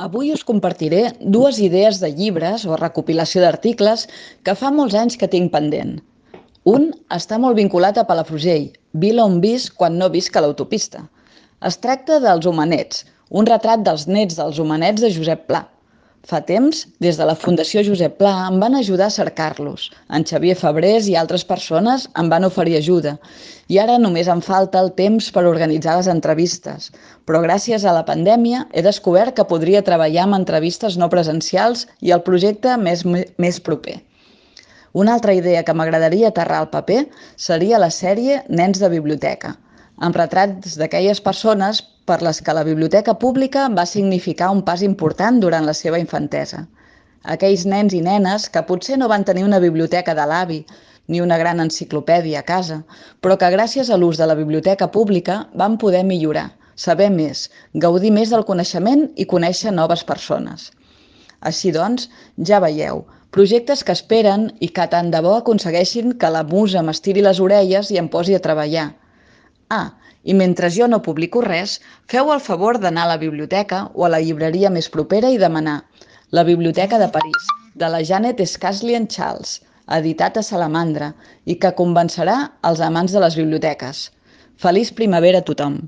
Avui us compartiré dues idees de llibres o recopilació d'articles que fa molts anys que tinc pendent. Un està molt vinculat a Palafrugell, vila on visc quan no visc a l'autopista. Es tracta dels Homenets, un retrat dels nets dels Homenets de Josep Pla. Fa temps, des de la Fundació Josep Pla, em van ajudar a cercar-los. En Xavier Fabrés i altres persones em van oferir ajuda. I ara només em falta el temps per organitzar les entrevistes. Però gràcies a la pandèmia he descobert que podria treballar amb entrevistes no presencials i el projecte més proper. Una altra idea que m'agradaria aterrar al paper seria la sèrie Nens de biblioteca, amb retrats d'aquelles persones per les que la biblioteca pública va significar un pas important durant la seva infantesa. Aquells nens i nenes que potser no van tenir una biblioteca de l'avi ni una gran enciclopèdia a casa, però que gràcies a l'ús de la biblioteca pública van poder millorar, saber més, gaudir més del coneixement i conèixer noves persones. Així doncs, ja veieu, projectes que esperen i que tant de bo aconsegueixin que la musa m'estiri les orelles i em posi a treballar. I mentre jo no publico res, feu el favor d'anar a la biblioteca o a la llibreria més propera i demanar La Biblioteca de París, de la Janet Scaslien Charles, editat a Salamandra, i que convencerà els amants de les biblioteques. Feliç primavera a tothom!